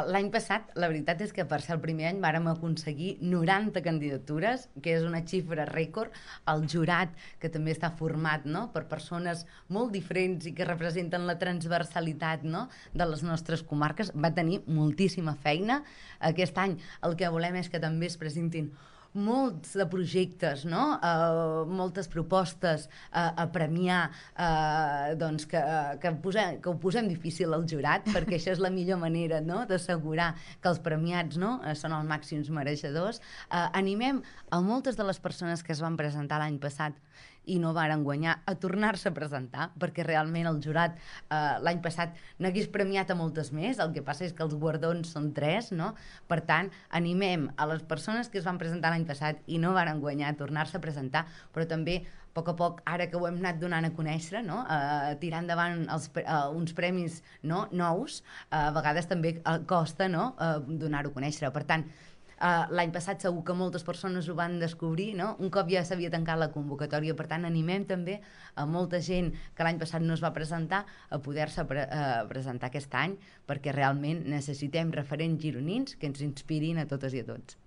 L'any passat, la veritat és que per ser el primer any vàrem aconseguir 90 candidatures, que és una xifra rècord. El jurat, que també està format, no?, per persones molt diferents i que representen la transversalitat, no?, de les nostres comarques, va tenir moltíssima feina. Aquest any el que volem és que també es presentin molts de projectes, no? Moltes propostes a premiar, doncs que ho posem difícil al jurat, perquè això és la millor manera, no?, d'assegurar que els premiats, no?, són els màxims mereixedors. Animem a moltes de les persones que es van presentar l'any passat i no varen guanyar a tornar-se a presentar, perquè realment el jurat l'any passat n'hagués premiat a moltes més. El que passa és que els guardons són 3, no? Per tant, animem a les persones que es van presentar l'any passat i no varen guanyar a tornar-se a presentar, però també a poc, ara que ho hem anat donant a conèixer, no?, tirar endavant uns premis, no?, nous, a vegades també costa, no?, donar-ho a conèixer. Per tant, l'any passat segur que moltes persones ho van descobrir, no?, un cop ja s'havia tancat la convocatòria. Per tant, animem també a molta gent que l'any passat no es va presentar a poder-se presentar aquest any, perquè realment necessitem referents gironins que ens inspirin a totes i a tots.